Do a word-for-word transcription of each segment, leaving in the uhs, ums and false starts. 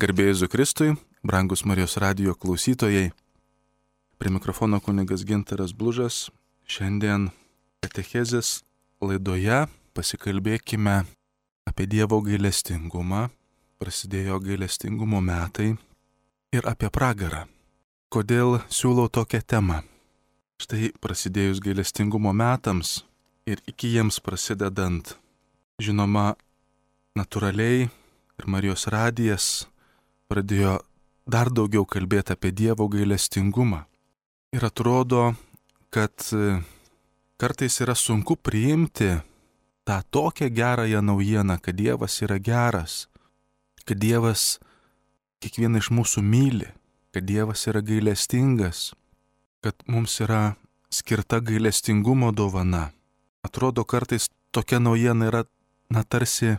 Garbė Jėzui Kristui, brangus Marijos radijo klausytojai. Prie mikrofono kunigas Gintaras Blužas. Šiandien katechezės laidoje pasikalbėkime apie Dievo gailestingumą. Prasidėjo gailestingumo metai ir apie pragarą. Kodėl siūlau tokią temą? Štai prasidėjus gailestingumo metams ir iki jiems prasidedant, žinoma, natūraliai ir Marijos radijas pradėjo dar daugiau kalbėti apie Dievo gailestingumą. Ir atrodo, kad kartais yra sunku priimti tą tokią gerąją naujieną, kad Dievas yra geras, kad Dievas kiekvieną iš mūsų myli, kad Dievas yra gailestingas, kad mums yra skirta gailestingumo dovana. Atrodo, kartais tokia naujiena yra, na, tarsi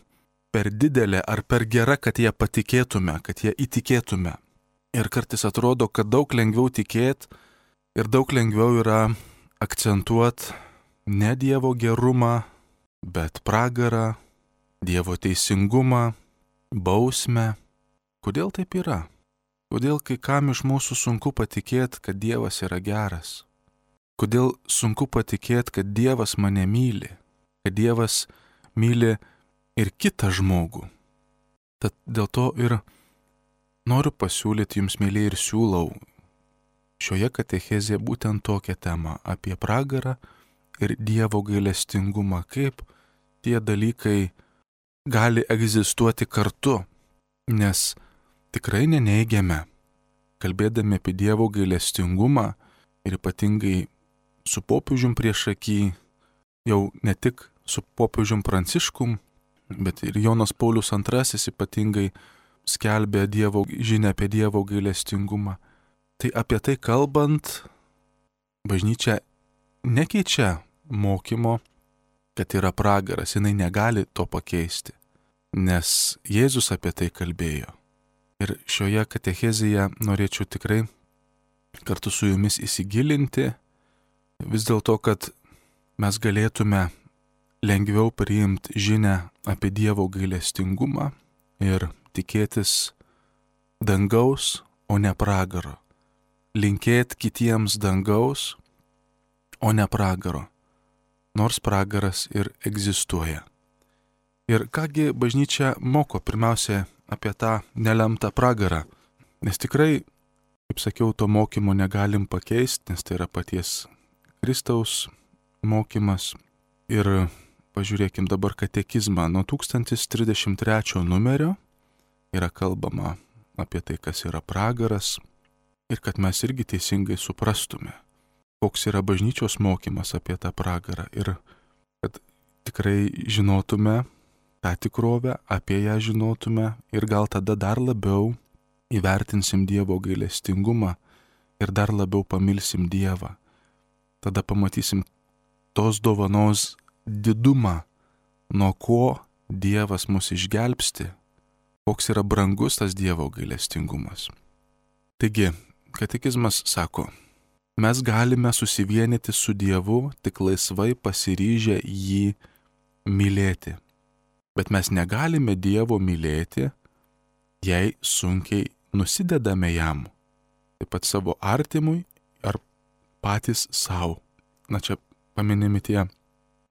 per didelė ar per gera, kad ją patikėtume, kad ją įtikėtume. Ir kartais atrodo, kad daug lengviau tikėti ir daug lengviau yra akcentuoti ne Dievo gerumą, bet pragarą, Dievo teisingumą, bausmę. Kodėl taip yra? Kodėl kai kam iš mūsų sunku patikėti, kad Dievas yra geras? Kodėl sunku patikėti, kad Dievas mane myli, kad Dievas myli ir kitą žmogų? Tad dėl to ir noriu pasiūlyti jums, mėlyje, ir siūlau šioje katechezėje būtent tokią temą apie pragarą ir Dievo gailestingumą, kaip tie dalykai gali egzistuoti kartu, nes tikrai neneigiame, kalbėdami apie Dievo gailestingumą ir ypatingai su popiežium priešaky, jau ne tik su popiežium Pranciškum, bet ir Jonas Paulius antrasis ypatingai skelbė Dievo žinią apie Dievo gailestingumą. Tai apie tai kalbant, bažnyčia nekeičia mokymo, kad yra pragaras, jinai negali to pakeisti, nes Jėzus apie tai kalbėjo. Ir šioje katechezėje norėčiau tikrai kartu su jumis įsigilinti, vis dėlto, kad mes galėtume lengviau priimti žinią apie Dievo gailestingumą ir tikėtis dangaus, o ne pragaro. Linkėti kitiems dangaus, o ne pragaro, nors pragaras ir egzistuoja. Ir kągi bažnyčia moko pirmiausia apie tą nelemtą pragarą, nes tikrai, kaip sakiau, to mokymo negalim pakeisti, nes tai yra paties Kristaus mokymas. Ir pažiūrėkim dabar katekizmą. Nuo tūkstantis trisdešimt trečio numerio yra kalbama apie tai, kas yra pragaras ir kad mes irgi teisingai suprastume, koks yra bažnyčios mokymas apie tą pragarą ir kad tikrai žinotume tą tikrovę, apie ją žinotume ir gal tada dar labiau įvertinsim Dievo gailestingumą ir dar labiau pamilsim Dievą. Tada pamatysim tos dovanos didumą, nuo ko Dievas mus išgelbsti, koks yra brangus tas Dievo gailestingumas. Taigi, katekizmas sako, mes galime susivienyti su Dievu tik laisvai pasiryžę jį mylėti. Bet mes negalime Dievo mylėti, jei sunkiai nusidedame jam, taip pat savo artimui ar patys savo. Na čia paminimi tie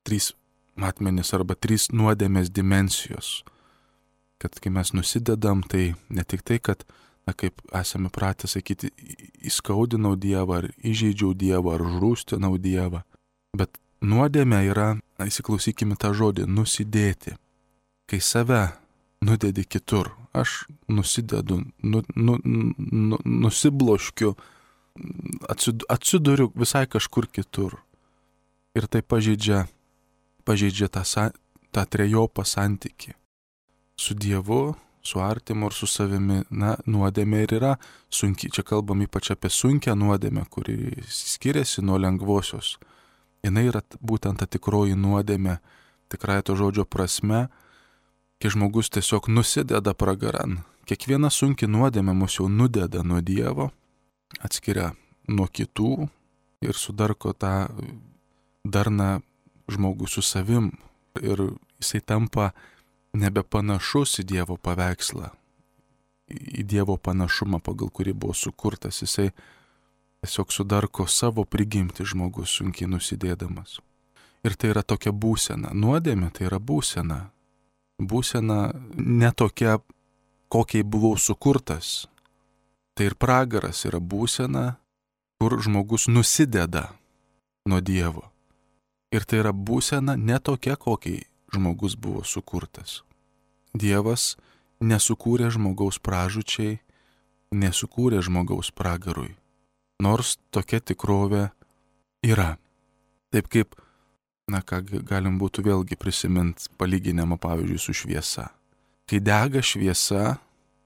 trys matmenys arba trys nuodėmės dimensijos. Kad kai mes nusidedam, tai ne tik tai, kad, na, kaip esame pratę sakyti, įskaudinau Dievą, ar įžeidžiau Dievą, ar žrūstinau Dievą, bet nuodėmė yra, na, įsiklausykime tą žodį, nusidėti. Kai save nudedi kitur, aš nusidedu, nu, nu, nu, nusibloškiu, atsiduriu visai kažkur kitur. Ir tai pažeidžia, pažeidžia tą, tą trejopą santykį. Su Dievu, su artimu ir su savimi, na, nuodėmė ir yra sunki. Čia kalbam ypač apie sunkią nuodėmę, kuri skiriasi nuo lengvosios. Jinai yra būtent ta tikroji nuodėmė, tikrai to žodžio prasme, kai žmogus tiesiog nusideda pragaran. Kiekviena sunki nuodėmė mus jau nudeda nuo Dievo, atskiria nuo kitų ir sudarko tą darną žmogų su savim. Ir jisai tampa nebepanašus į Dievo paveikslą, į Dievo panašumą, pagal kurį buvo sukurtas. Jisai tiesiog sudarko savo prigimti žmogus, sunkiai nusidėdamas. Ir tai yra tokia būsena. Nuodėmė tai yra būsena. Būsena ne tokia, kokiai buvau sukurtas. Tai ir pragaras yra būsena, kur žmogus nusideda nuo Dievo. Ir tai yra būsena ne tokia, kokiai žmogus buvo sukurtas. Dievas nesukūrė žmogaus pražūčiai, nesukūrė žmogaus pragarui. Nors tokia tikrovė yra. Taip kaip, na ką galim būtų vėlgi prisiminti palyginimą pavyzdžiui su šviesa. Kai dega šviesa,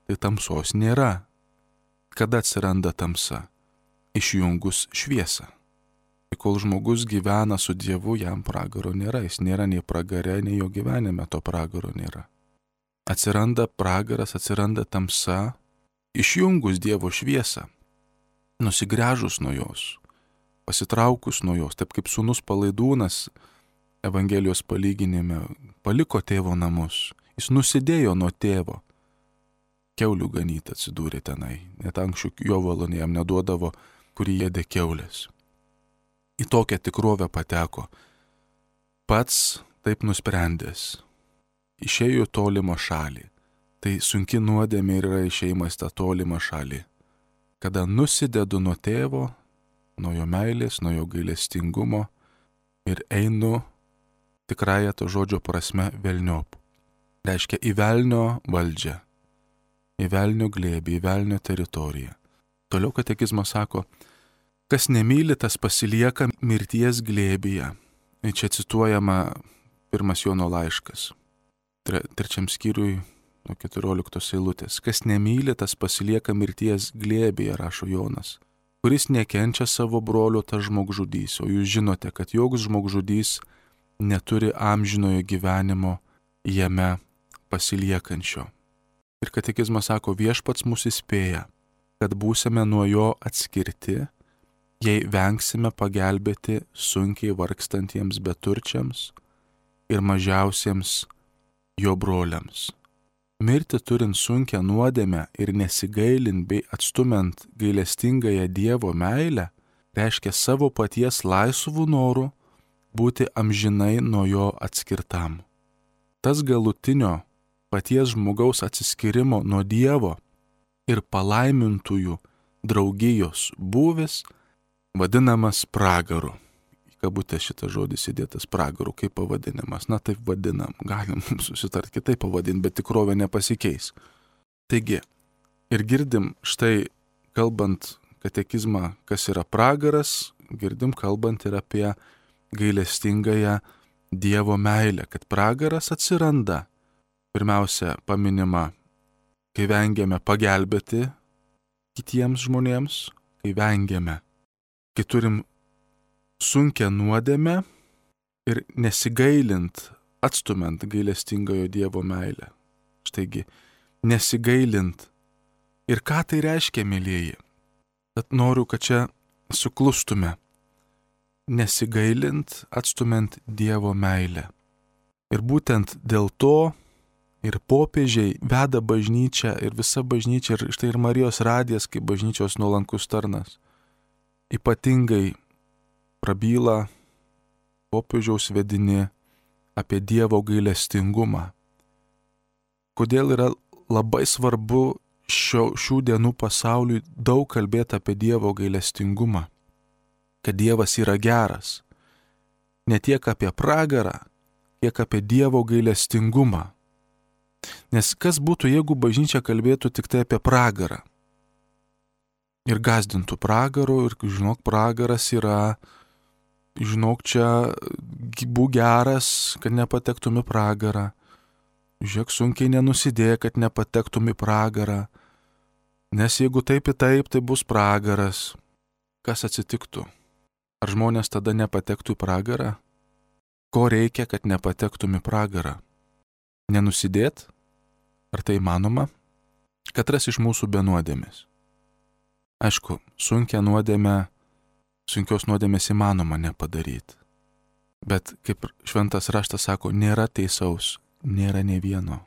tai tamsos nėra. Kada atsiranda tamsa? Išjungus šviesą. Kol žmogus gyvena su Dievu, jam pragaro nėra. Jis nėra nei pragare, nei jo gyvenime to pragaro nėra. Atsiranda pragaras, atsiranda tamsa, išjungus Dievo šviesą, nusigręžus nuo jos, pasitraukus nuo jos, taip kaip sūnus Palaidūnas Evangelijos palyginime paliko tėvo namus. Jis nusidėjo nuo tėvo. Kiaulių ganyti atsidūrė tenai. Net anksčiau jovalo jam neduodavo, kurį ėdė kiaulės. Į tokią tikrovę pateko. Pats taip nusprendęs. Išėjo į tolimą šalį. Tai sunki nuodėmė yra išėjimas tą tolimą šalį. Kada nusidedu nuo tėvo, nuo jo meilės, nuo jo gailestingumo ir einu tikrąją to žodžio prasme velniop. Reiškia į velnio valdžią, į velnio glėbį, į velnio teritoriją. Toliau katekizmas sako, kas nemyli, tas pasilieka mirties glėbyje. Ir čia cituojama pirmas Jono laiškas, tre, trečiam skyriui nuo keturioliktos eilutės. Kas nemyli, tas pasilieka mirties glėbyje, rašo Jonas. Kuris nekenčia savo brolio, tas žmogžudys. O jūs žinote, kad joks žmogžudys neturi amžinojo gyvenimo jame pasiliekančio. Ir katekizmas sako, viešpats mus įspėja, kad būsime nuo jo atskirti, jei vengsime pagelbėti sunkiai vargstantiems beturčiams ir mažiausiems jo broliams. Mirti turint sunkią nuodėmę ir nesigailint bei atstumiant gailestingąją Dievo meilę, reiškia savo paties laisvų norų būti amžinai nuo jo atskirtam. Tas galutinio paties žmogaus atsiskyrimo nuo Dievo ir palaimintųjų draugijos būvis vadinamas pragaru. Į kabutę šitas žodis įdėtas pragaru, kaip pavadinimas. Na taip vadinam, galim susitart kitaip pavadinti, bet tikrovė nepasikeis. Taigi, ir girdim štai kalbant katekizmą, kas yra pragaras, girdim kalbant ir apie gailestingąją Dievo meilę, kad pragaras atsiranda. Pirmiausia, paminima, kai vengiame pagelbėti kitiems žmonėms, kai vengiame, kai turim sunkią nuodėmę ir nesigailint, atstumiant gailestingojo Dievo meilę. Štaigi, nesigailint. Ir ką tai reiškia, mylieji? Tad noriu, kad čia suklustume. Nesigailint, atstumiant Dievo meilę. Ir būtent dėl to ir popiežiai veda bažnyčią, ir visa bažnyčia, ir štai ir Marijos radijas, kaip bažnyčios nuolankus tarnas, ypatingai prabyla popiežiaus vedini apie Dievo gailestingumą. Kodėl yra labai svarbu šio, šių dienų pasauliui daug kalbėti apie Dievo gailestingumą, kad Dievas yra geras, ne tiek apie pragarą, kiek apie Dievo gailestingumą. Nes kas būtų, jeigu bažnyčia kalbėtų tik tai apie pragarą? Ir gąsdintų pragaru, ir žinok, pragaras yra, žinok, čia būk geras, kad nepatektum į pragarą. Žiūrėk, sunkiai nenusidėk, kad nepatektum į pragarą. Nes jeigu taip į taip, tai bus pragaras. Kas atsitiktų? Ar žmonės tada nepatektų į pragarą? Ko reikia, kad nepatektum į pragarą? Nenusidėt? Ar tai įmanoma? Katras iš mūsų be nuodėmės. Aišku, sunkia nuodėmė, sunkios nuodėmės įmanoma nepadaryti. Bet kaip šventas raštas sako, nėra teisaus, nėra nei vieno.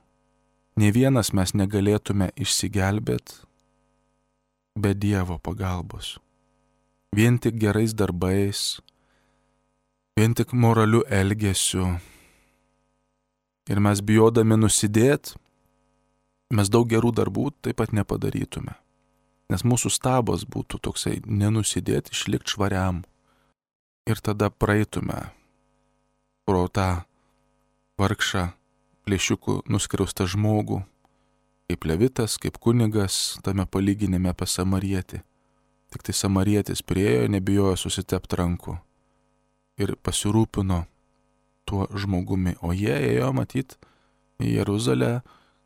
Nei vienas mes negalėtume išsigelbėti be Dievo pagalbos. Vien tik gerais darbais, vien tik moraliu elgesiu. Ir mes bijodami nusidėt, mes daug gerų darbų taip pat nepadarytume. Nes mūsų stabas būtų toksai nenusidėti, išlikti švariam. Ir tada praeitume pro tą vargšą plėšiukų nuskriaustą žmogų, kaip levitas, kaip kunigas tame palyginime apie samarietį. Tik tai samarietis priėjo, nebijojo susitepti rankų ir pasirūpino tuo žmogumi. O jie ėjo matyt į Jeruzalę,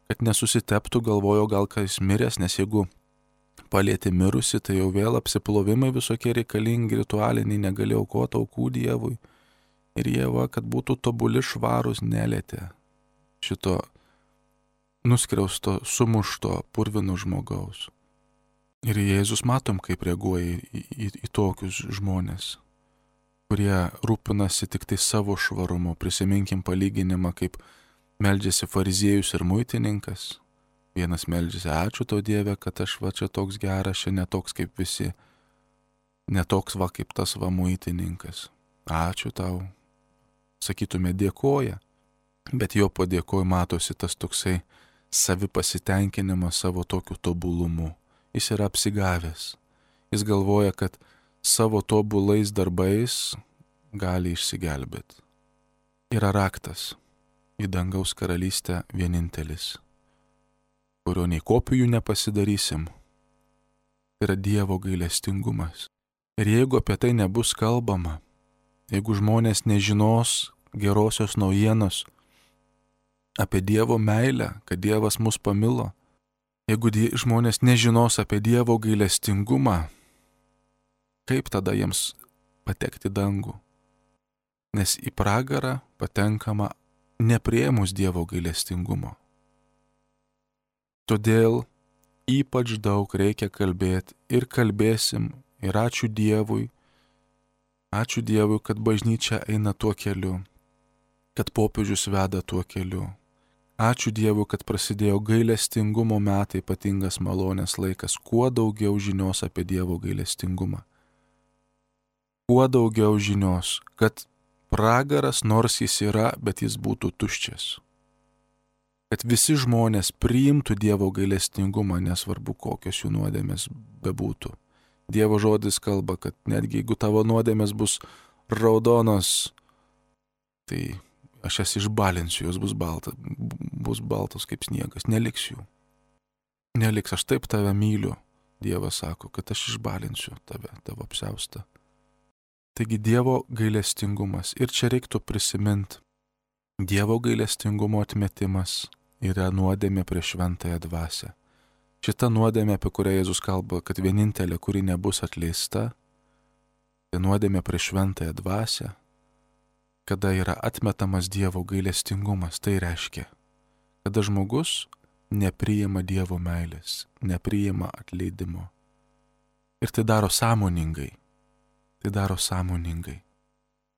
kad nesusiteptų, galvojo gal kas miręs, nes jeigu palietė mirusi, tai jau vėl apsiplovimai visokie reikalingi, ritualiniai, negalėjo aukoti aukų Dievui. Ir jie, va, kad būtų tobuli švarūs, nelietė šito nuskriausto, sumušto, purvino žmogaus. Ir Jėzus matom, kaip reaguoja į, į, į tokius žmonės, kurie rūpinasi tik tai savo švarumu. Prisiminkim palyginimą, kaip meldžiasi fariziejus ir muitininkas. Vienas meldžiasi, ačiū tau Dieve, kad aš va čia toks geras, čia netoks kaip visi, netoks va kaip tas va muitininkas. Ačiū tau. Sakytume, dėkoja, bet jo padėkoj matosi tas toksai savipasitenkinimas savo tokiu tobulumu. Jis yra apsigavęs. Jis galvoja, kad savo tobulais darbais gali išsigelbėti. Yra raktas į dangaus karalystę vienintelis, kurio nei kopijų nepasidarysim. Tai yra Dievo gailestingumas. Ir jeigu apie tai nebus kalbama, jeigu žmonės nežinos gerosios naujienos apie Dievo meilę, kad Dievas mus pamilo, jeigu die, žmonės nežinos apie Dievo gailestingumą, kaip tada jiems patekti dangų? Nes į pragarą patenkama nepriėmus Dievo gailestingumo. Todėl ypač daug reikia kalbėti ir kalbėsim ir ačiū Dievui, ačiū Dievui, kad bažnyčia eina tuo keliu, kad popiežius veda tuo keliu. Ačiū Dievui, kad prasidėjo gailestingumo metai, ypatingas malonės laikas, kuo daugiau žinios apie Dievo gailestingumą. Kuo daugiau žinios, kad pragaras nors jis yra, bet jis būtų tuščias. Kad visi žmonės priimtų Dievo gailestingumą, nesvarbu kokios jų nuodėmės bebūtų. Dievo žodis kalba, kad netgi jeigu tavo nuodėmės bus raudonos, tai aš jas išbalinsiu, jos bus, balta, bus baltos kaip sniegas, neliks jų. Neliks, aš taip tave myliu, Dievas sako, kad aš išbalinsiu tave, tavo apsiaustą. Taigi Dievo gailestingumas. Ir čia reiktų prisiminti, Dievo gailestingumo atmetimas yra nuodėmė prieš šventąją dvasią. Šita nuodėmė, apie kurią Jėzus kalba, kad vienintelė, kuri nebus atleista, tai nuodėmė prieš šventąją dvasią, kada yra atmetamas Dievo gailestingumas. Tai reiškia, kada žmogus nepriima Dievo meilės, nepriima atleidimo. Ir tai daro sąmoningai. Tai daro sąmoningai.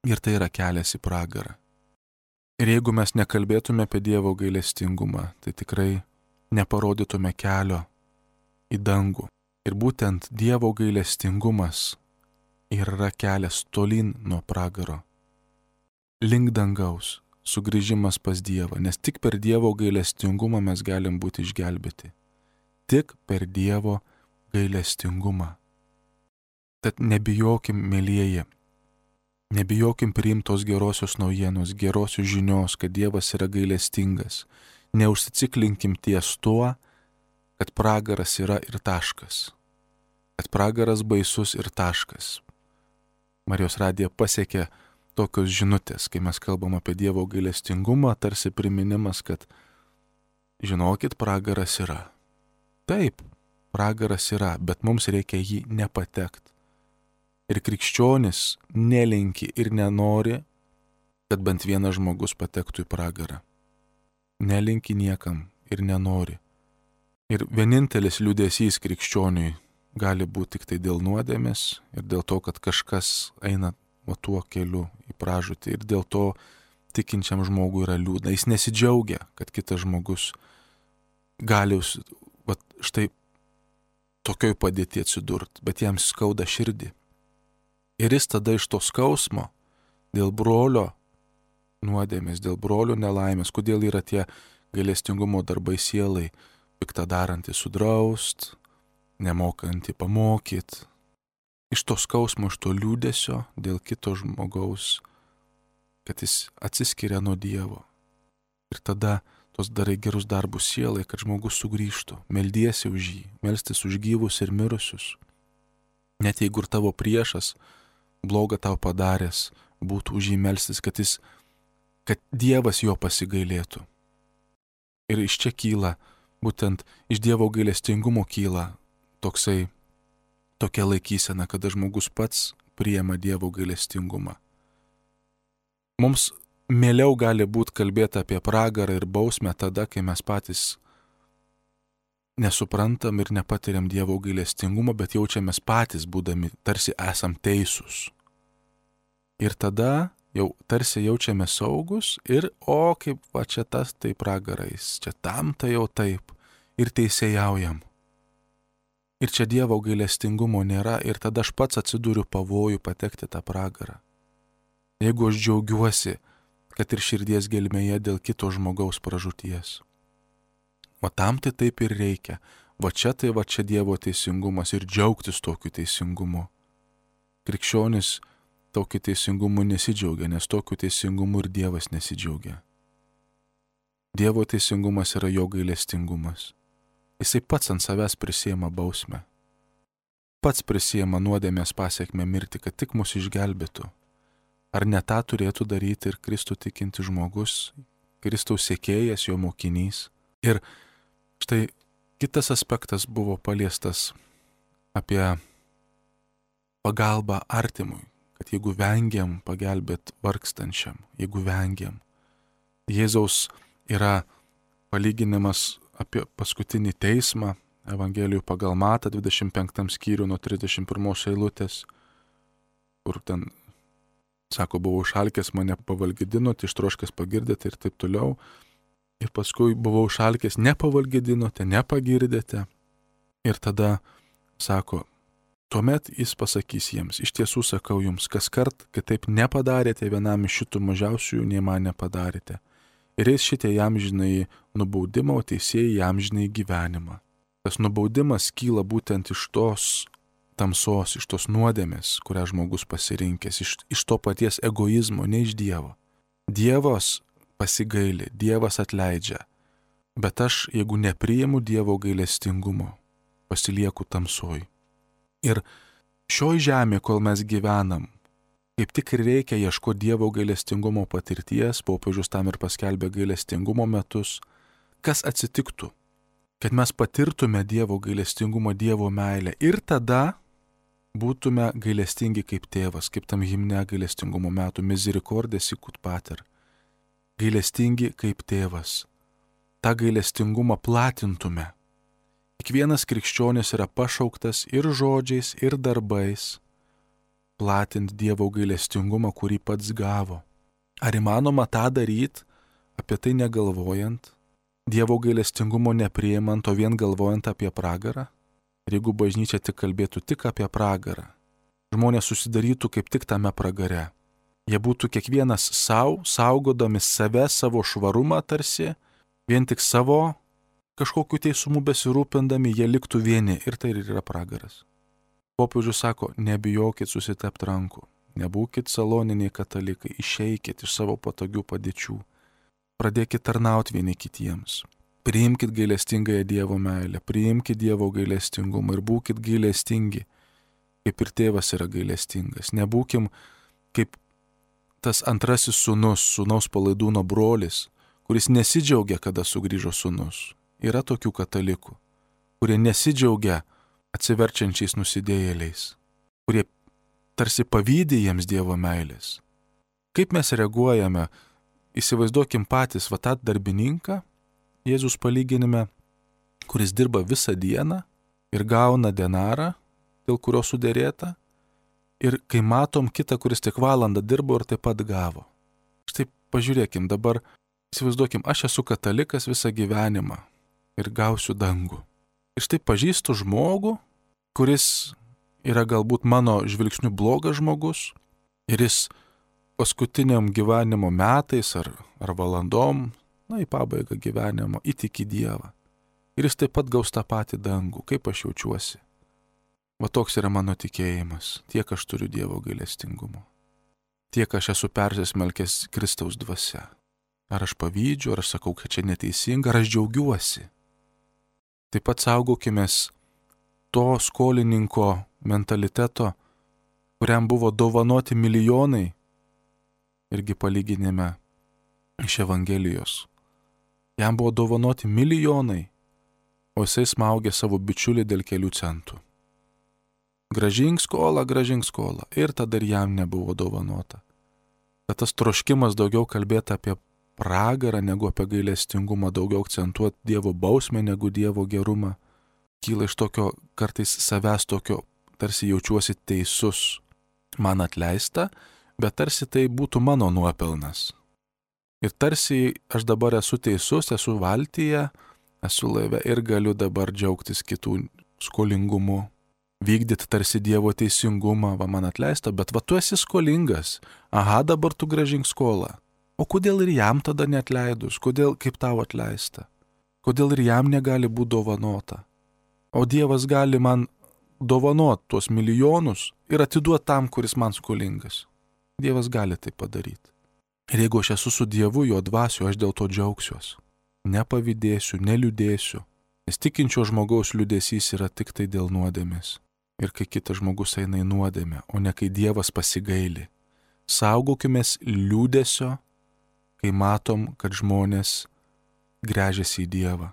Ir tai yra kelias į pragarą. Ir jeigu mes nekalbėtume apie Dievo gailestingumą, tai tikrai neparodytume kelio į dangų. Ir būtent Dievo gailestingumas yra kelias tolyn nuo pragaro. Link dangaus, sugrįžimas pas Dievą, nes tik per Dievo gailestingumą mes galim būti išgelbėti. Tik per Dievo gailestingumą. Tad nebijokim, mielieji, nebijokim priimtos gerosios naujienos, gerosios žinios, kad Dievas yra gailestingas. Neužsiciklinkim ties tuo, kad pragaras yra ir taškas. Kad pragaras baisus ir taškas. Marijos radija pasiekė tokios žinutės, kai mes kalbam apie Dievo gailestingumą, tarsi priminimas, kad žinokit, pragaras yra. Taip, pragaras yra, bet mums reikia jį nepatekti. Ir krikščionis nelinki ir nenori, kad bent vienas žmogus patektų į pragarą. Nelinki niekam ir nenori. Ir vienintelis liūdesys krikščioniui gali būti tik tai dėl nuodėmės ir dėl to, kad kažkas eina va tuo keliu į pražūtį. Ir dėl to tikinčiam žmogui yra liūdna. Jis nesidžiaugia, kad kitas žmogus gali va, štai tokioj padėti atsidurt, bet jam skauda širdį. Ir jis tada iš to skausmo dėl brolio nuodėmės, dėl brolio nelaimės, kodėl yra tie gailestingumo darbai sielai, piktą darantį sudraust, nemokantį pamokyt. Iš to skausmo, iš to liūdesio dėl kito žmogaus, kad jis atsiskiria nuo Dievo. Ir tada tos darai gerus darbus sielai, kad žmogus sugrįžtų, meldiesi už jį, melstis už gyvus ir mirusius. Net jeigu ir tavo priešas blogą tau padaręs, būtų už jį melstis, kad jis, kad Dievas jo pasigailėtų. Ir iš čia kyla, būtent iš Dievo gailestingumo kyla toksai, tokia laikysena, kada žmogus pats priima Dievo gailestingumą. Mums mieliau gali būti kalbėti apie pragarą ir bausmę tada, kai mes patys nesuprantam ir nepatiriam Dievo gailestingumo, bet jaučiamės patys būdami, tarsi esam teisūs. Ir tada jau tarsi jaučiamės saugus ir, o kaip va čia tas tai pragarais, čia tam tai jau taip ir teisėjaujam. Ir čia Dievo gailestingumo nėra ir tada aš pats atsiduriu pavojų patekti tą pragarą. Jeigu aš džiaugiuosi, kad ir širdies gelmėje dėl kito žmogaus pražūties. O tam tai taip ir reikia. Va čia tai va čia Dievo teisingumas ir džiaugtis tokiu teisingumu. Krikščionis tokiu teisingumu nesidžiaugia, nes tokiu teisingumu ir Dievas nesidžiaugia. Dievo teisingumas yra jo gailestingumas. Jisai pats ant savęs prisiema bausmę. Pats prisiema nuodėmės pasiekmę mirti, kad tik mus išgelbėtų. Ar ne tą turėtų daryti ir Kristų tikinti žmogus, Kristaus sekėjas, jo mokinys? Ir štai kitas aspektas buvo paliestas apie pagalbą artimui, kad jeigu vengiam pagelbėt vargstančiam, jeigu vengiam. Jėzaus yra palyginimas apie paskutinį teismą, Evangelijų pagal Matą, dvidešimt penktam skyrių nuo trisdešimt pirmos eilutės, kur ten sako, buvau šalkęs, mane pavalgydinote, ištroškęs pagirdėte ir taip toliau. Ir paskui buvau šalkęs, nepavalgydinote, nepagirdėte. Ir tada sako, tuomet jis pasakys jiems, iš tiesų sakau jums, kas kart, kad taip nepadarėte vienam iš šitų mažiausiųjų, nei man nepadarėte. Ir eis šitie jam žinai nubaudimą, o teisėjai jam žinai gyvenimą. Tas nubaudimas kyla būtent iš tos tamsos, iš tos nuodėmės, kurią žmogus pasirinkęs, iš, iš to paties egoizmo, ne iš Dievo. Dievas pasigaili, Dievas atleidžia, bet aš, jeigu nepriimu Dievo gailestingumo, pasilieku tamsoj. Ir šioj žemė, kol mes gyvenam, kaip tik ir reikia ieškoti Dievo gailestingumo patirties, popiežius tam ir paskelbė gailestingumo metus, kas atsitiktų, kad mes patirtume Dievo gailestingumo, Dievo meilę ir tada būtume gailestingi kaip tėvas, kaip tam himne gailestingumo metų, misericorde sicut pater. Gailestingi kaip tėvas. Ta gailestingumą platintume. Kiekvienas krikščionis yra pašauktas ir žodžiais, ir darbais platinti Dievo gailestingumą, kurį pats gavo. Ar įmanoma tą daryti, apie tai negalvojant, Dievo gailestingumo nepriimant, o vien galvojant apie pragarą? Ir jeigu bažnyčia tik kalbėtų tik apie pragarą, žmonės susidarytų kaip tik tame pragare. Jie būtų kiekvienas savo, saugodami save, savo švarumą tarsi, vien tik savo kažkokiu teisumu besirūpindami, jie liktų vieni ir tai ir yra pragaras. Popiežius sako, nebijokit susitept rankų, nebūkit saloniniai katalikai, išeikit iš savo patogių padėčių, pradėkit tarnauti vieni kitiems. Priimkit gailestingąją Dievo meilę, priimkit Dievo gailestingumą ir būkit gailestingi, kaip ir tėvas yra gailestingas. Nebūkim kaip tas antrasis sūnus, sūnaus palaidūno brolis, kuris nesidžiaugia, kada sugrįžo sūnus. Yra tokių katalikų, kurie nesidžiaugia atsiverčiančiais nusidėjėliais, kurie tarsi pavydi jiems Dievo meilės. Kaip mes reaguojame, įsivaizduokim patys va tą darbininką, Jėzus palyginime, kuris dirba visą dieną ir gauna denarą, dėl kurio suderėta, ir kai matom kitą, kuris tik valandą dirbo ir taip pat gavo. Štai pažiūrėkim, dabar įsivaizduokim, aš esu katalikas visą gyvenimą ir gausiu dangų. Ir štai pažįstu žmogų, kuris yra galbūt mano žvilgsniu blogas žmogus ir jis paskutiniam gyvenimo metais ar, ar valandom, na į pabaigą gyvenimo, įtiki Dievą. Ir jis taip pat gaus tą patį dangų, kaip aš jaučiuosi. Va toks yra mano tikėjimas, tiek aš turiu Dievo gailestingumo, tiek aš esu persismelkęs Kristaus dvasia. Ar aš pavydžiu, ar aš sakau, kad čia neteisinga, ar aš džiaugiuosi. Taip pat saugokimės to skolininko mentaliteto, kuriam buvo dovanoti milijonai, irgi palyginime iš Evangelijos. Jam buvo dovanoti milijonai, o jisai smaugė savo bičiulį dėl kelių centų. Gražink skolą, gražink skolą. Ir tada ir jam nebuvo dovanota. Kad tas troškimas daugiau kalbėti apie pragarą negu apie gailestingumą, daugiau akcentuoti Dievo bausmę negu Dievo gerumą, kyla iš tokio kartais savęs tokio, tarsi jaučiuosi teisus, man atleista, bet tarsi tai būtų mano nuopelnas. Ir tarsi aš dabar esu teisus, esu valtyje, esu laive ir galiu dabar džiaugtis kitų skolingumu, vykdyti tarsi Dievo teisingumą, va man atleista, bet va tu esi skolingas, aha, dabar tu grąžink skolą. O kodėl ir jam tada neatleidus, kodėl kaip tau atleista, kodėl ir jam negali būti dovanota. O Dievas gali man dovanot tuos milijonus ir atiduoti tam, kuris man skolingas. Dievas gali tai padaryti. Ir jeigu aš esu su Dievu, jo dvasiu, aš dėl to džiaugsiuos. Nepavydėsiu, neliūdėsiu. Nes tikinčio žmogaus liūdesys yra tik tai dėl nuodėmės. Ir kai kitas žmogus eina į nuodėmę, o ne kai Dievas pasigaili. Saugokimės liūdesio, kai matom, kad žmonės gręžiasi į Dievą.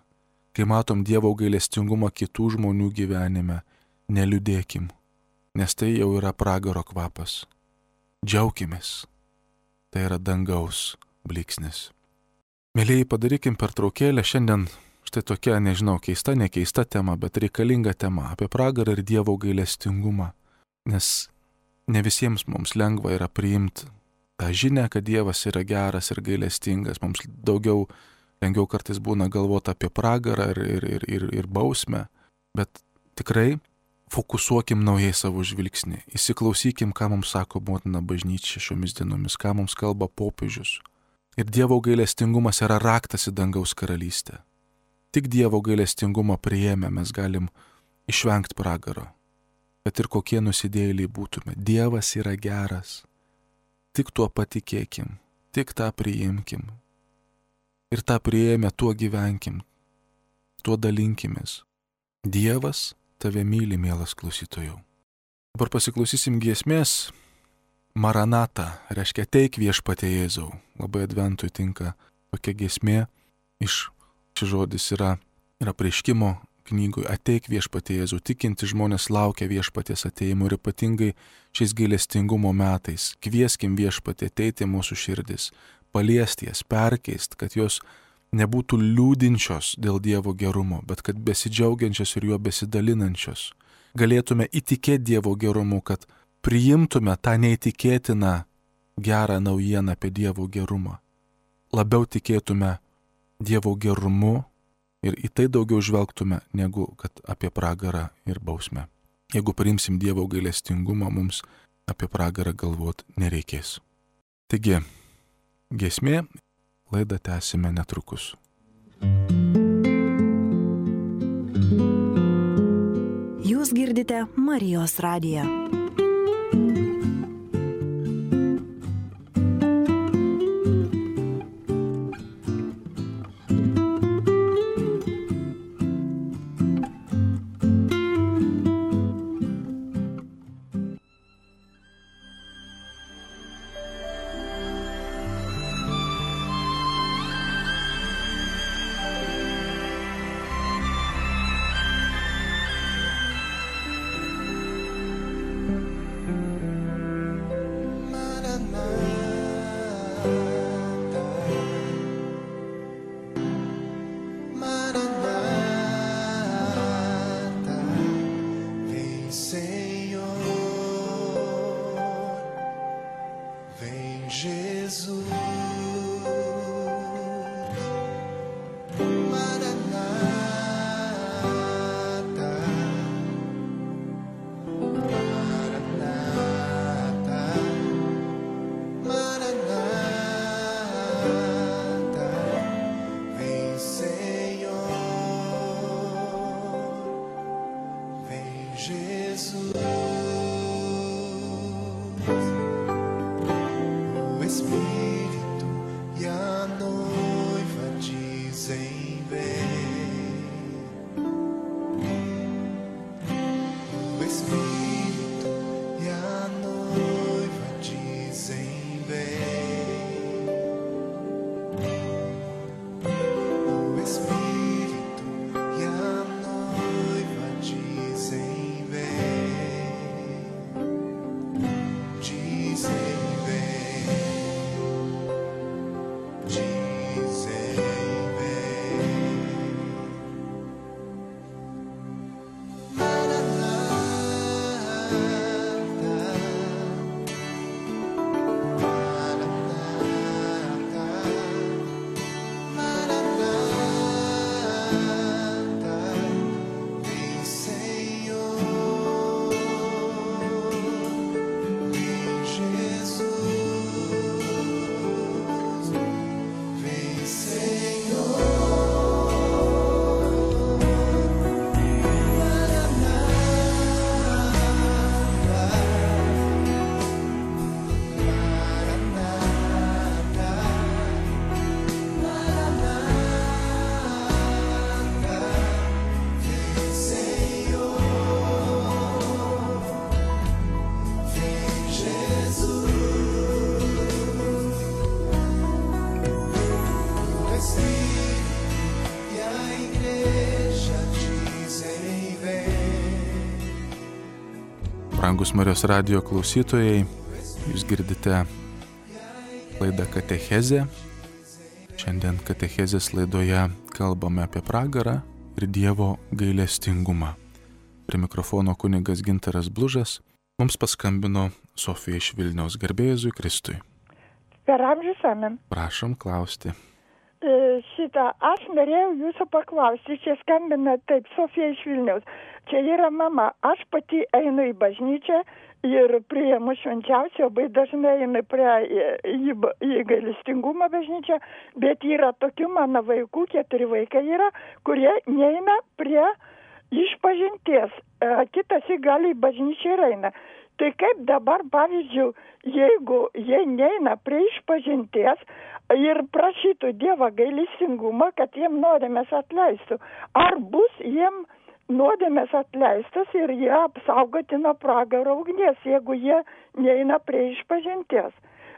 Kai matom Dievo gailestingumą kitų žmonių gyvenime, neliūdėkim, nes tai jau yra pragaro kvapas. Džiaukimės. Tai yra dangaus blyksnis. Mėlėjai, padarykim pertraukėlę šiandien. Štai tokia, nežinau, keista, nekeista tema, bet reikalinga tema apie pragarą ir Dievo gailestingumą. Nes ne visiems mums lengva yra priimti tą žinią, kad Dievas yra geras ir gailestingas. Mums daugiau, lengviau kartais būna galvoti apie pragarą ir, ir, ir, ir, ir bausmę. Bet tikrai fokusuokim naujai savo žvilgsnį. Įsiklausykim, ką mums sako motina bažnyčia šiomis dienomis, ką mums kalba popiežius. Ir Dievo gailestingumas yra raktas į dangaus karalystę. Tik Dievo gailestingumą priėmę mes galim išvengti pragaro. Kad ir kokie nusidėjėliai būtume. Dievas yra geras. Tik tuo patikėkim. Tik tą priimkim. Ir tą priėmę tuo gyvenkim. Tuo dalinkimės. Dievas tave myli, mielas klausytojau. Dabar pasiklausysim giesmės. Maranata, reiškia ateik viešpatie Jėzau. Labai adventui tinka tokia giesmė iš Šis žodis yra, yra apreiškimo knygoje ateik viešpatie Jėzau. Tikinti žmonės laukia viešpaties ateimo ir ypatingai šiais gailestingumo metais. Kvieskim viešpatie ateiti mūsų širdis, paliesti jas, perkeist, kad jos nebūtų liūdinčios dėl Dievo gerumo, bet kad besidžiaugiančios ir juo besidalinančios. Galėtume įtikėti Dievo gerumu, kad priimtume tą neįtikėtiną gerą naujieną apie Dievo gerumą. Labiau tikėtume Dievo gerumu ir į tai daugiau žvelgtume, negu kad apie pragarą ir bausmę. Jeigu priimsim Dievo gailestingumą, mums apie pragarą galvot nereikės. Taigi, giesmė, laidą tęsime netrukus. Jūs girdite Marijos radiją. Jesus, o Espírito e a noiva dizem vem. O Espírito e a noiva dizem vem. O Espírito e a noiva dizem vem. Dizem vem. Dizem vem. Maranata, Maranata, Maranata, vem Senhor, vem Jesus, vem Senhor, Maranata, Maranata, Maranata, vem Senhor, vem Jesus, o Espírito e a igreja dizem vem. Brangus Marijos radijo klausytojai, jūs girdite laidą Katechezė. Šiandien Katechezės laidoje kalbame apie pragarą ir Dievo gailestingumą. Prie mikrofono kunigas Gintaras Blužas. Mums paskambino Sofija iš Vilniaus. Garbė Jėzui Kristui. Per amžius amen. Prašom klausti. E, Šitą aš norėjau jūsų paklausti, čia skambina taip Sofija iš Vilniaus. Čia yra mama, aš pati einu į bažnyčią ir priimu švenčiausią, labai dažnai einu prie į, į, į gailestingumą bažnyčią, bet yra tokių mano vaikų, keturi vaikai yra, kurie neina prie išpažinties, e, kitas į gali į bažnyčią ir eina. Tai kaip dabar, pavyzdžiui, jeigu jie neina prie išpažinties ir prašytų Dievą gailestingumą, kad jiem nuodėmės atleistų, ar bus jiem nuodėmės atleistas ir jie apsaugoti nuo pragaro ugnies, jeigu jie neina prie išpažinties?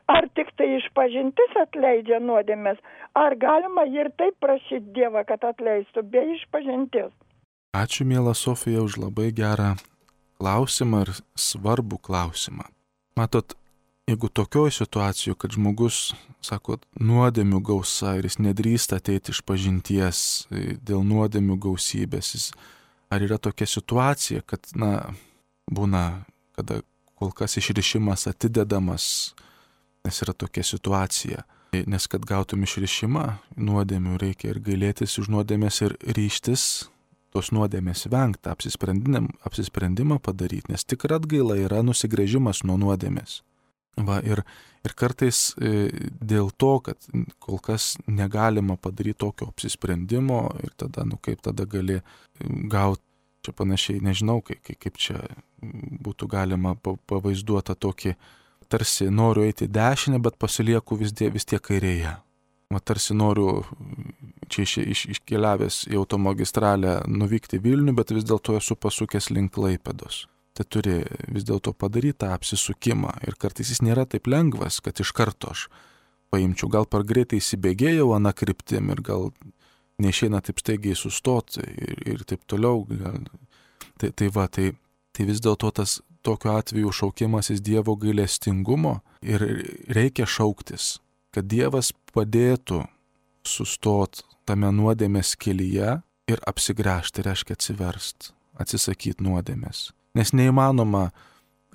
Ar tik tai išpažintis atleidžia nuodėmės, ar galima ir taip prašyti Dievą, kad atleistų be išpažinties? Ačiū, miela Sofija, už labai gerą klausimą ir svarbų klausimą. Matot, jeigu tokioj situacijoje, kad žmogus, sako, nuodėmių gausa ir jis nedrįsta ateiti iš pažinties dėl nuodėmių gausybės, jis, ar yra tokia situacija, kad, na, būna, kada kol kas išrišimas atidedamas, nes yra tokia situacija. Nes kad gautum išrišimą, nuodėmių reikia ir gailėtis už nuodėmės ir ryžtis tos nuodėmės vengti, apsisprendimą padaryti, nes tikra atgaila yra nusigręžimas nuo nuodėmės. Va, ir, ir kartais e, dėl to, kad kol kas negalima padaryti tokio apsisprendimo ir tada, nu kaip tada gali gauti, čia panašiai, nežinau, kaip, kaip čia būtų galima pavaizduota tokį, tarsi noriu eiti dešinę, bet pasilieku vis, die, vis tiek kairėje. Va, tarsi noriu čia iš, iš, iškeliavęs į automagistralę nuvykti Vilnių, bet vis dėlto esu pasukęs link Klaipėdos. Tai turi vis dėlto padaryti tą apsisukimą ir kartais jis nėra taip lengvas, kad iš karto aš paimčiau, gal per greitai įsibėgėjau aną kryptim ir gal neišeina taip staigiai sustoti ir, ir taip toliau. Gal, tai, tai va, tai, tai vis dėlto tas tokiu atveju šaukimasis Dievo gailestingumo ir reikia šauktis, kad Dievas padėtų sustot tame nuodėmės kelyje ir apsigręžti, reiškia atsiverst, atsisakyti nuodėmės. Nes neįmanoma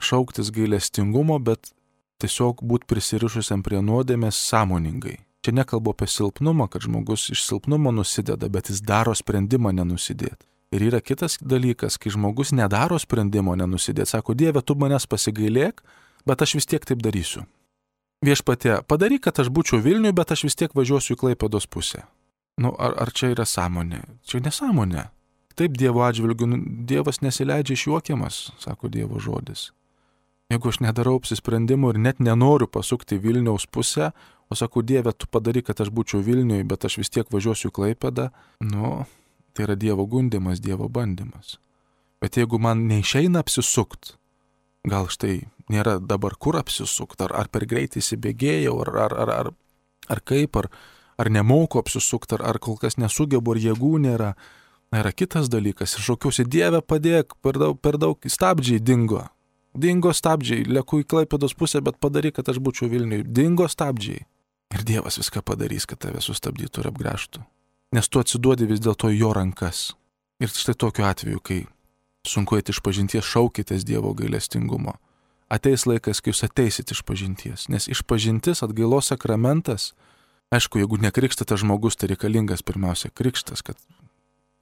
šauktis gailestingumo, bet tiesiog būti prisirišusiam prie nuodėmės sąmoningai. Čia nekalbu apie silpnumą, kad žmogus iš silpnumo nusideda, bet jis daro sprendimą nenusidėti. Ir yra kitas dalykas, kai žmogus nedaro sprendimo nenusidėti. Sako, Dieve, tu manęs pasigailėk, bet aš vis tiek taip darysiu. Viešpatie, padaryk, kad aš būčiau Vilniui, bet aš vis tiek važiuosiu į Klaipėdos pusę. Nu, ar, ar čia yra sąmonė? Čia nesąmonė. Taip Dievo atžvilgiu, Dievas nesileidžia išjuokiamas, sako Dievo žodis. Jeigu aš nedarau apsisprendimų ir net nenoriu pasukti Vilniaus pusę, o sakau, Dieve, tu padaryk, kad aš būčiau Vilniui, bet aš vis tiek važiuosiu į Klaipėdą, nu, tai yra Dievo gundimas, Dievo bandymas. Bet jeigu man neišeina apsisukt, gal štai nėra dabar kur apsisukt, ar, ar per greitai įsibėgėjau, ar, ar, ar, ar, ar kaip, ar, ar nemoku apsisukt, ar, ar kol kas nesugebu, ar jėgų nėra, na, yra kitas dalykas. Ir šaukiausi, Dieve, padėk, per daug, per daug stabdžiai dingo. Dingo stabdžiai, leku į Klaipėdos pusę, bet padaryk, kad aš būčiau Vilniui. Dingo stabdžiai. Ir Dievas viską padarys, kad tave sustabdytų ir apgręžtų. Nes tu atsiduodi vis dėlto jo rankas. Ir štai tokiu atveju, kai sunku eiti iš pažinties, šaukitės Dievo gailestingumo. Ateis laikas, kai jūs ateisit iš pažinties. Nes iš pažintis atgailos sakramentas, aišku, jeigu nekrikštytas žmogus, tai reikalingas pirmiausia krikštas, kad,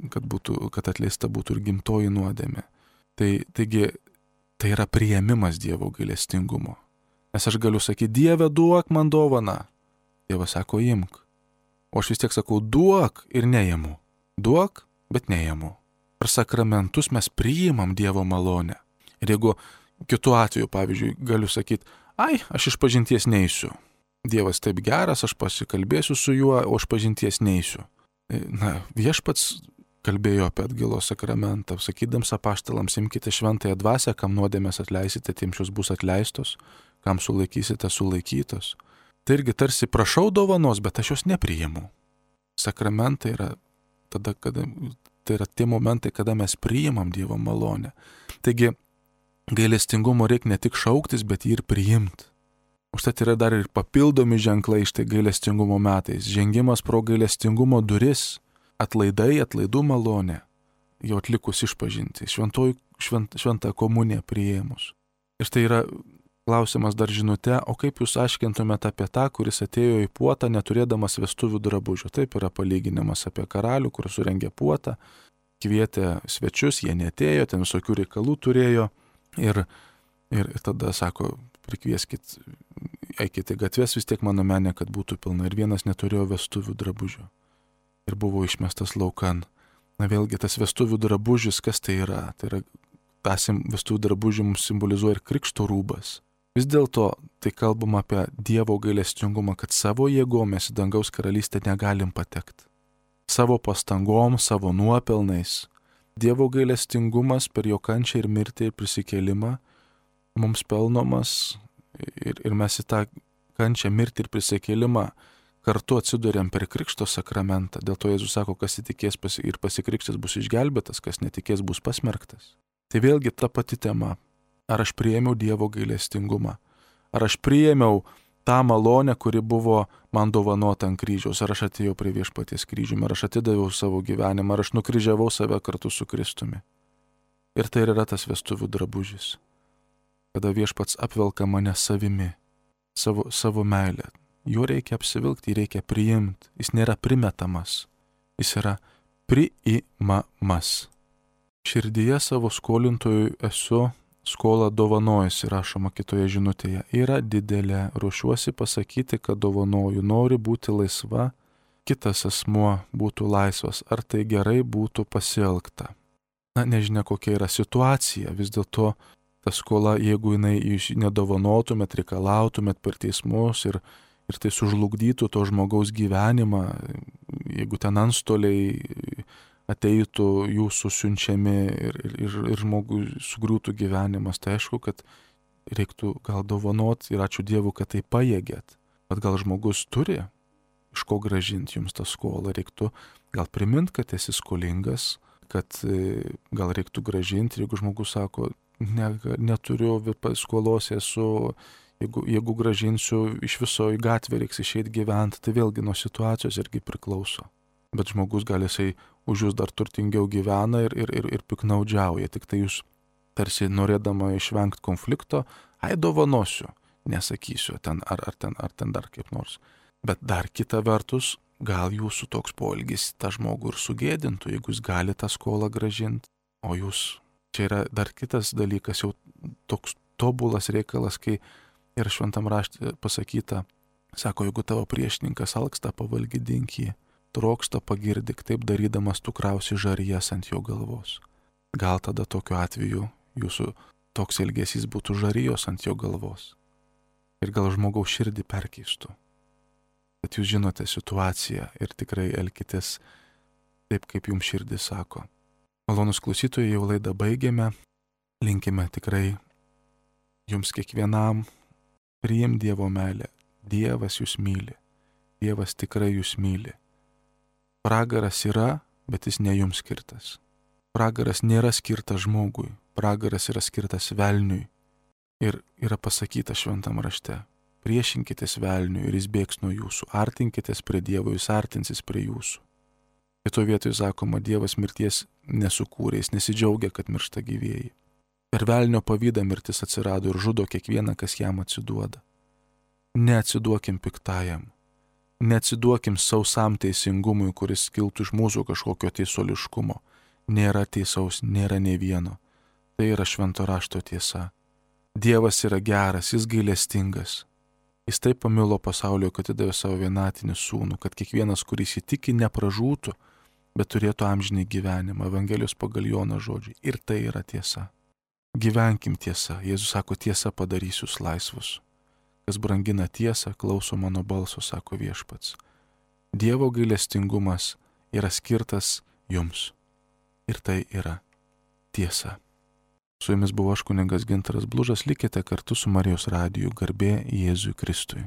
kad, būtų, kad atleista būtų ir gimtoji nuodėmė. Tai, taigi, tai yra priėmimas Dievo gailestingumo. Nes aš galiu sakyti, Dieve, duok man dovaną. Dievas sako, imk. O aš vis tiek sakau, duok ir neimu. Duok, bet neimu. Per sakramentus mes priimam Dievo malonę. Ir jeigu kitu atveju, pavyzdžiui, galiu sakyti, ai, aš iš pažinties neisiu. Dievas taip geras, aš pasikalbėsiu su juo, o aš pažinties neisiu. Na, viešpats kalbėjo apie atgailos sakramentą, sakydams apaštalams, imkite šventąją dvasią, kam nuodėmės atleisite, tiems šios bus atleistos, kam sulaikysite, sulaikytos. Tai irgi tarsi prašau dovanos, bet aš jos nepriimu. Sakramentai yra, tada, kada, tai yra tie momentai, kada mes priimam Dievo malonę. Taigi, gailestingumo reikia ne tik šauktis, bet jį ir priimti. Užtat yra dar ir papildomi ženklai štai gailestingumo metais. Žengimas pro gailestingumo duris, atlaidai, atlaidų malonė, jau atlikus išpažinti, šventoj, švent, šventą komuniją priėmus. Ir tai yra klausimas dar žinute, o kaip jūs aiškintumėte apie tą, kuris atėjo į puotą neturėdamas vestuvių drabužių. Taip yra palyginimas apie karalių, kur surengė puotą, kvietė svečius, jie neatėjo, ten visokių reikalų turėjo ir, ir tada sako, prikvieskit, eikite gatves, vis tiek mano menė, kad būtų pilna. Ir vienas neturėjo vestuvių drabužių. Ir buvo išmestas laukan. Na vėlgi, tas vestuvių drabužis, kas tai yra? Tai yra, tas vestuvių drabužių mums simbolizuoja ir krikšto rūbas. Vis dėlto, tai kalbam apie Dievo gailestingumą, kad savo jėgom mes į dangaus karalystę negalim patekti. Savo pastangom, savo nuopelnais. Dievo gailestingumas per jo kančią ir mirtį ir prisikėlimą mums pelnomas ir, ir mes į tą kančią, mirtį ir prisikėlimą kartu atsiduriam per krikšto sakramentą. Dėl to Jėzus sako, kas įtikės ir pasikrikštęs bus išgelbėtas, kas netikės bus pasmerktas. Tai vėlgi ta pati tema. Ar aš priėmiau Dievo gailestingumą? Ar aš priėmiau tą malonę, kuri buvo man dovanota ant kryžiaus? Ar aš atėjau prie viešpaties kryžiumi? Ar aš atidaviau savo gyvenimą? Ar aš nukryžiavau save kartu su Kristumi? Ir tai yra tas vestuvių drabužis. Kada viešpats apvelka mane savimi, savo, savo meilę. Jo reikia apsivilkti, jį reikia priimti. Jis nėra primetamas. Jis yra priimamas. Širdyje savo skolintojui esu skolą dovanojasi, rašoma kitoje žinutėje. Yra didelė, ruošiuosi pasakyti, kad dovanoju, nori būti laisva, kitas asmuo būtų laisvas. Ar tai gerai būtų pasielgta? Na, nežinia, kokia yra situacija. Vis dėlto ta skola, jeigu jinai jūs nedovanotumėt, reikalautumėt per teismus ir, ir tai sužlugdytų to žmogaus gyvenimą, jeigu ten antstoliai ateitų jūsų siunčiami ir, ir, ir žmogui sugriūtų gyvenimas, tai aišku, kad reiktų gal dovanot ir ačiū Dievui, kad tai pajėgėt. Bet gal žmogus turi iš ko grąžinti jums tą skolą, reiktų gal primint, kad esi skolingas, kad gal reiktų grąžinti, jeigu žmogus sako, ne, neturiu skolos, esu, jeigu, jeigu grąžinsiu, iš viso į gatvę reiks išeiti gyventi, tai vėlgi nuo situacijos irgi priklauso. Bet žmogus gali jisai už jūs dar turtingiau gyvena ir, ir, ir, ir piknaudžiauja. Tik tai jūs tarsi norėdama išvengti konflikto, ai dovanosiu, nesakysiu ten ar, ar, ten, ar ten dar kaip nors. Bet dar kita vertus, gal jūsų toks poelgis tą žmogų ir sugėdintų, jeigu jūs gali tą skolą grąžinti. O jūs, čia yra dar kitas dalykas, jau toks tobulas reikalas, kai ir šventam rašte pasakyta, sako, jeigu tavo priešininkas alksta, pavalgydink jį. trokšta pagirdyk, taip darydamas tu krausi žarijas ant jo galvos. Gal tada tokiu atveju jūsų toks elgesys būtų žarijos ant jo galvos. Ir gal žmogaus širdį perkeistų. Bet jūs žinote situaciją ir tikrai elkitės taip, kaip jums širdis sako. Malonus klausytojai, jau laidą baigėme. Linkime tikrai jums kiekvienam priim Dievo meilę. Dievas jūs myli. Dievas tikrai jūs myli. Pragaras yra, bet jis ne jums skirtas. Pragaras nėra skirtas žmogui. Pragaras yra skirtas velniui. Ir yra pasakyta šventam rašte. Priešinkitės velniui ir jis bėgs nuo jūsų. Artinkitės prie Dievo, jis artinsis prie jūsų. Kito vietoje sakoma, Dievas mirties nesukūrė, jis nesidžiaugia, kad miršta gyvieji. Per velnio pavydą mirtis atsirado ir žudo kiekvieną, kas jam atsiduoda. Neatsiduokim piktajam. Neatsiduokim sausam teisingumui, kuris kiltų iš mūsų kažkokio teisuoliškumo. Nėra teisaus, nėra nei vieno. Tai yra švento rašto tiesa. Dievas yra geras, jis gailestingas. Jis taip pamilo pasaulio, kad atidavė savo vienatinį sūnų, kad kiekvienas, kuris įtiki, nepražūtų, bet turėtų amžinį gyvenimą. Evangelijos pagal Jono žodžiai. Ir tai yra tiesa. Gyvenkim tiesa. Jėzus sako, tiesa padarys jūs laisvus. Kas brangina tiesą, klauso mano balso, sako viešpats. Dievo gailestingumas yra skirtas jums. Ir tai yra tiesa. Su jumis buvo aš kunigas Gintaras Blužas, likite kartu su Marijos radiju, garbė Jėzui Kristui.